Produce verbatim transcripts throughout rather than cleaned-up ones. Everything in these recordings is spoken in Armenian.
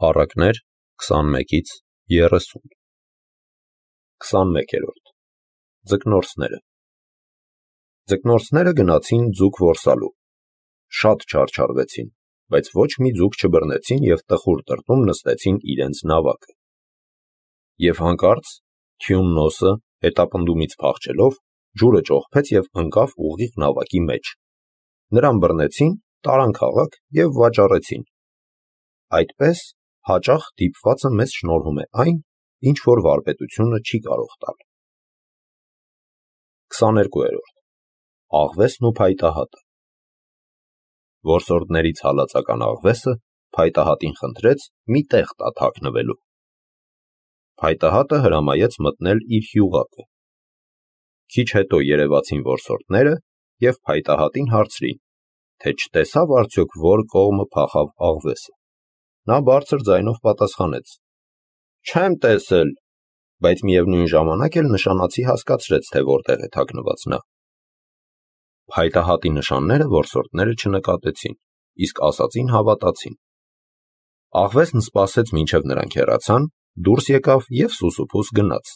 Առակներ քսանմեկից երեսուն քսանմեկերորդ Ձկնորսները Ձկնորսները գնացին ձուկ որսալու, շատ չարչարվեցին, բայց ոչ մի ձուկ չբռնեցին և տխուր տրտում նստեցին իրենց նավակը։ Եվ հանկարծ թյուննոսը հետապնդումից փախչելով ջուրը ճոխփեց և ընկավ ուղիղ նավակի մեջ, նրան բռնեցին, տարան քաղաք և վաճառեցին։ Այդպես հաճախ դիպվածը մեզ շնորհում է այն, ինչ որ վարպետությունը չի կարող տալ։ քսաներկուերորդ Աղվեսն ու փայտահատը Որսորդներից հալածական Աղվեսը փայտահատին խնդրեց մի տեղ տա թաքնվելու։ Փայտահատը հրամայեց մտնել իր հյուղակը։ Քիչ հետո երևացին որսորդները և փայտահատին հարցրին, թե չտեսավ արդյոք որ կողմը փախավ Աղվեսը։ Նա բարձր ձայնով պատասխանեց. Չեմ տեսել, բայց միևնույն ժամանակ էլ նշանացի հասկացրեց, թե որտեղ է թաքնված նա։ Փայտահատի նշանները որսորդները չնկատեցին, իսկ ասածին հավատացին։ Աղվեսն սպասեց մինչև նրանք հեռացան, դուրս եկավ և սուսուփուս գնաց։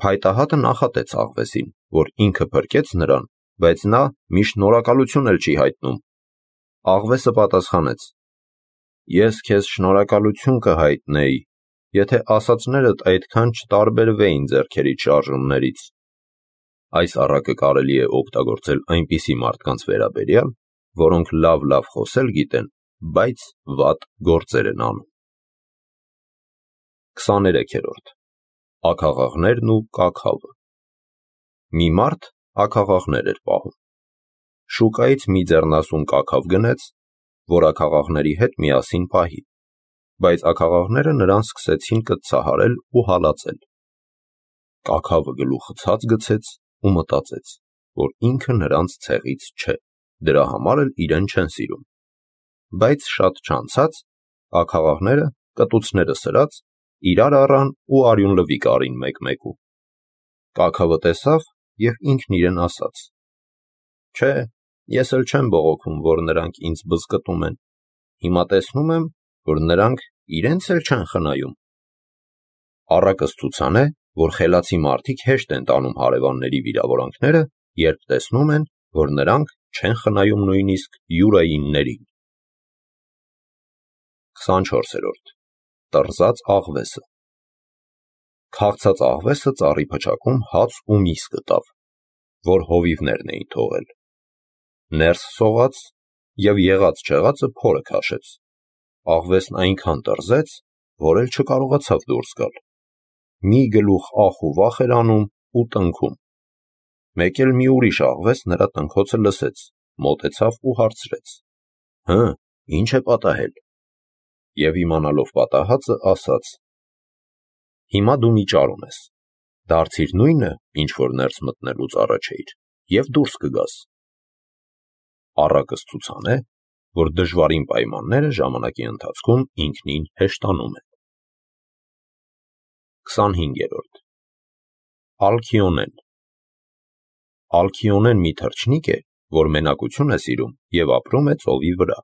Փայտահատը նախատեց Աղվեսին, որ ինքը փրկեց նրան, բայց նա մի շնորհակալություն էլ չի հայտնում։ Աղվեսը պատասխանեց. Ես քեզ շնորհակալություն կհայտնեի, եթե ասածներդ այդքան չտարբերվեին ձեռքերիդ շարժումներից։ Այս առակը կարելի է օգտագործել այնպիսի մարդկանց վերաբերյալ, որոնք լավ-լավ խոսել գիտեն, բայց վատ գործեր են անում։ քսաներեքերորդ Աքաղաղներն ու կաքավը Մի մարդ աքաղաղներ էր պահում։ Շուկայից մի ձեռնասուն կաքավ գնեց, որ աքաղաղների հետ միասին պահի, բայց աքաղաղները նրան սկսեցին կծցահարել ու հալածել։ Կաքավը գլուխը ցած գցեց ու մտածեց, որ ինքը նրանց ցեղից չէ, դրա համար էլ իրեն չեն սիրում։ Բայց շատ չանցած աքաղաղները, կտուցները սրած, իրար առան ու արյունլվիկ արին մեկ-մեկու։ Կաքավը տեսավ և ինքն իրեն ասաց. Չէ, ես էլ չեմ բողոքում, որ նրանք ինձ բզկտում են, հիմա տեսնում եմ, որ նրանք իրենց էլ չեն խնայում։ Առակը ցուցան է, որ խելացի մարդիկ հեշտ են տանում հարևանների վիրավորանքները, երբ տեսնում են, որ նրանք չեն խնայում նույնիսկ յուրայիններին։ քսանչորսերորդ Տռզած աղվեսը Քաղցած աղվեսը ծառի փչակում հաց ու միս գտավ, որ հովիվներն էին թողել։ Ներս սողաց և եղած չեղածը փորը քաշեց։ Աղվեսն այնքան տռզեց, որ էլ չկարողացավ դուրս գալ։ Մի գլուխ ախ ու վախ էր անում ու տնքում։ Մեկ էլ մի ուրիշ աղվես նրա տնքոցը լսեց, մոտեցավ ու հարցրեց. Հը, ի՞նչ է պատահել։ Եվ իմանալով պատահածը, ասաց. Հիմա դու մի ճար ունես, դարձիր նույնը, ինչ որ ներս մտնելուց առաջ էիր, և դուրս կգաս։ Առակը ցուցան է, որ դժվարին պայմանները ժամանակի ընթացքում ինքնին հեշտանում են։ քսանհինգերորդ Ալքիոնեն Ալքիոնեն մի թռչնիկ է, որ մենակություն է սիրում և ապրում է ծովի վրա։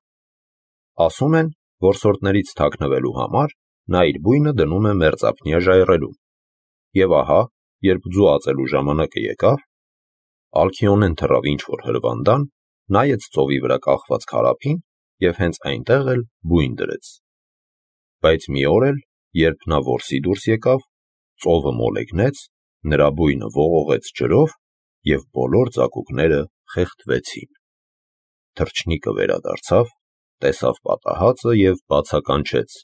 Ասում են, որսորդներից թաքնվելու համար նա իր բույնը դնում է մերձափնյա ժայռերում։ Եվ ահա, երբ ձուածելու ժամանակը եկավ, Ալքիոնեն թռավ ինչ-որ հրվանդան, նայեց ծովի վրա կախված քարափին և հենց այնտեղ էլ բույն դրեց։ Բայց մի օր էլ, երբ նա որսի դուրս եկավ, ծովը մոլեգնեց, նրա բույնը ողողեց ջրով և բոլոր ծակուկները խեղդվեցին։ Թռչնիկը վերադարձավ, տեսավ պատահածը և բացականչեց.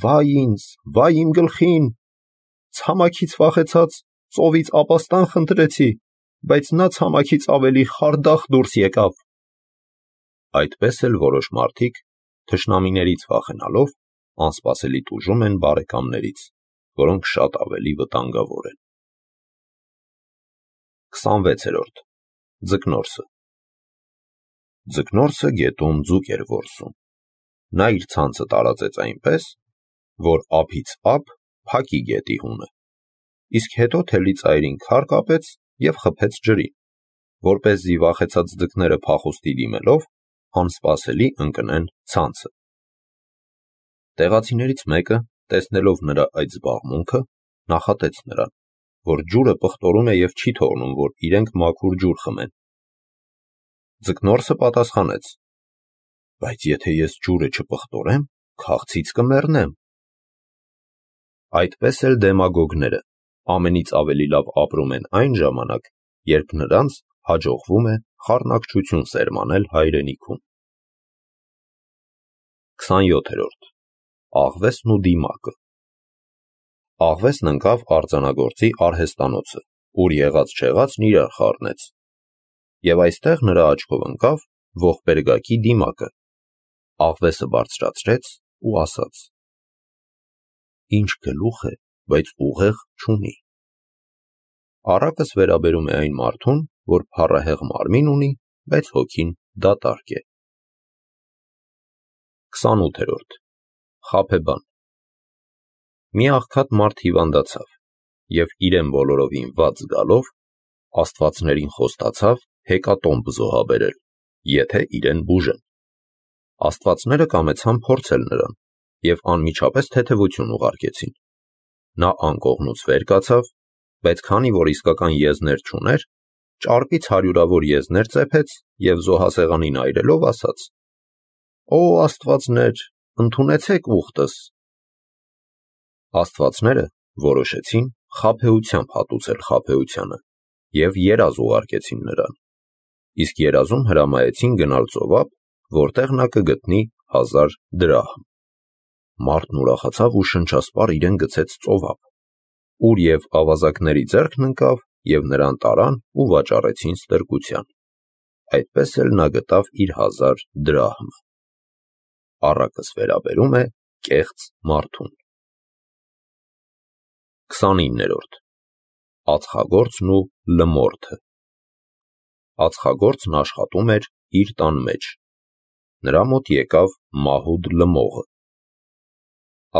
Վայ ինձ, վայ իմ գլխին, ցամաքից վախեցած ծովից ապաստան խնդրեցի, բայց նա ցամաքից ավելի խարդախ դուրս եկավ։ Այդպես էլ որոշ մարդիկ, թշնամիներից վախենալով, անսպասելի տուժում են բարեկամներից, որոնք շատ ավելի վտանգավոր են։ քսանվեցերորդ Ձկնորսը Ձկնորսը գետում ձուկ էր որսում։ Նա իր ցանցը տարածեց այնպես, որ ափից ափ փակի գետի հունը, իսկ հետո թելի ծայրին քար կապեց և խփեց ջրին, որպեսզի վախեցած ձկները փախուստի դիմելով անսպասելի ընկնեն ցանցը։ Տեղացիներից մեկը, տեսնելով նրա այդ զբաղմունքը, նախատեց նրան, որ ջուրը պղտորում է և չի թողնում, որ իրենք մաքուր ջուր խմեն։ Ձկնորսը պատասխանեց. բայց եթե ես ջուրը չպղտորեմ, քաղցից կմեռնեմ։ Այդպես էլ դեմագոգները ամենից ավելի լավ ապրում են այն ժամանակ, երբ նրանց հաջողվում է խառնակցություն սերմանել հայրենիքում։ քսանյոթերորդ Աղվեսն ու դիմակը։ Աղվեսն ընկավ արձանագործի արհեստանոցը, ուր եղած-չեղածն իրար խառնեց, և այստեղ նրա աչքով ընկավ ողբերգակի դիմակը։ Աղվեսը բարձրացրեց ու ասաց. ինչ գլուխ է, բայց ուղեղ չունի։ Առակս վերաբերում է այն մարդուն, որ փառահեղ մարմին ունի, բայց հոգին դատարկ է։ քսանութերորդ Խաբեբան։ Մի աղքատ մարդ հիվանդացավ, և իրեն բոլորովին վատ զգալով, աստվածներին խոստացավ հեկատոմբ զոհաբերել, եթե իրեն բուժեն։ Աստվածները կամեցան փորձել նրան և անմիջապես թեթևություն ուղարկեցին։ Նա անկողնուց վեր կացավ, բայց քանի որ իսկական եզներ չուներ, ճարպից հարյուրավոր եզներ ծեփեց և զոհասեղանին այրելով ասաց. «Օ աստվածներ, ընդունեցեք ուխտս»։ Աստվածները որոշեցին խաբեությամբ հատուցել խաբեությանը և երազ ուղարկեցին նրան, իսկ երազում հրամայեցին գնալ ծովափ, որտեղ նա կգտնի հազար դրահմ։ Մարդն ուրախացավ ու շնչասպառ իրեն գցեց ծովափ, ուր և ավազակների ձեռքն ընկավ, և նրան տարան ու վաճառեցին ստրկության։ Այդպես էլ նա գտավ իր հազար դրահմը։ Առակս վերաբերում է կեղծ մարդուն։ քսանիններորդ Ածխագործն ու լմորդը։ Ածխագործն աշխատում էր իր տան մեջ։ Նրա մոտ եկավ մահուդ լմողը։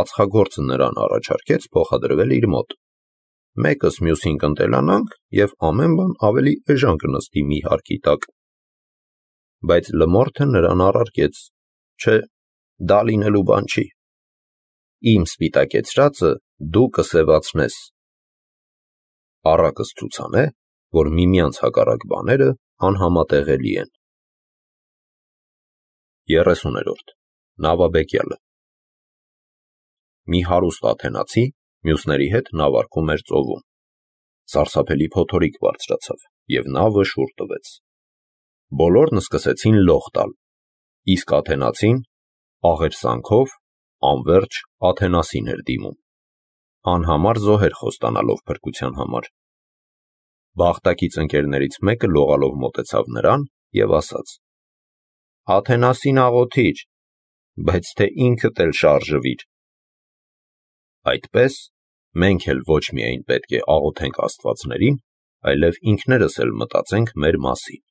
Ածխագործը նրան առաջարկեց փոխադրվել իր մոտ։ Մեկս մյուսին կընտելանանք և ամեն բան ավելի էժան կնստի մի հարկի տակ։ Բայց լմորդը նրան առարկեց. չէ, դա լինելու բան չի։ Իմ սպիտակեցրածը դու կսևացնես։ Առակս ցուցանե, որ միմյանց հակառակ բաները անհամատեղելի են։ երեսուներորդ Նավաբեկյալը։ Մի հարուստ աթենացի մյուսների հետ նավարկում էր ծովում։ Սարսափելի փոթորիկ բարձրացավ, և նավը շուռ տվեց։ Բոլորն սկսեցին լող տալ, իսկ աթենացին աղերսանքով անվերջ Աթենասին էր դիմում, անհամար զոհեր խոստանալով փրկության համար։ Բախտակից ընկերներից մեկը լողալով մոտեցավ նրան և ասաց. «Աթենասին աղոթիր, բայց թե ինքդ էլ շարժվիր»։ Այդպես մենք էլ ոչ միայն պետք է աղոթենք աստվածներին, այլև ինքներս էլ մտածենք մեր մասին։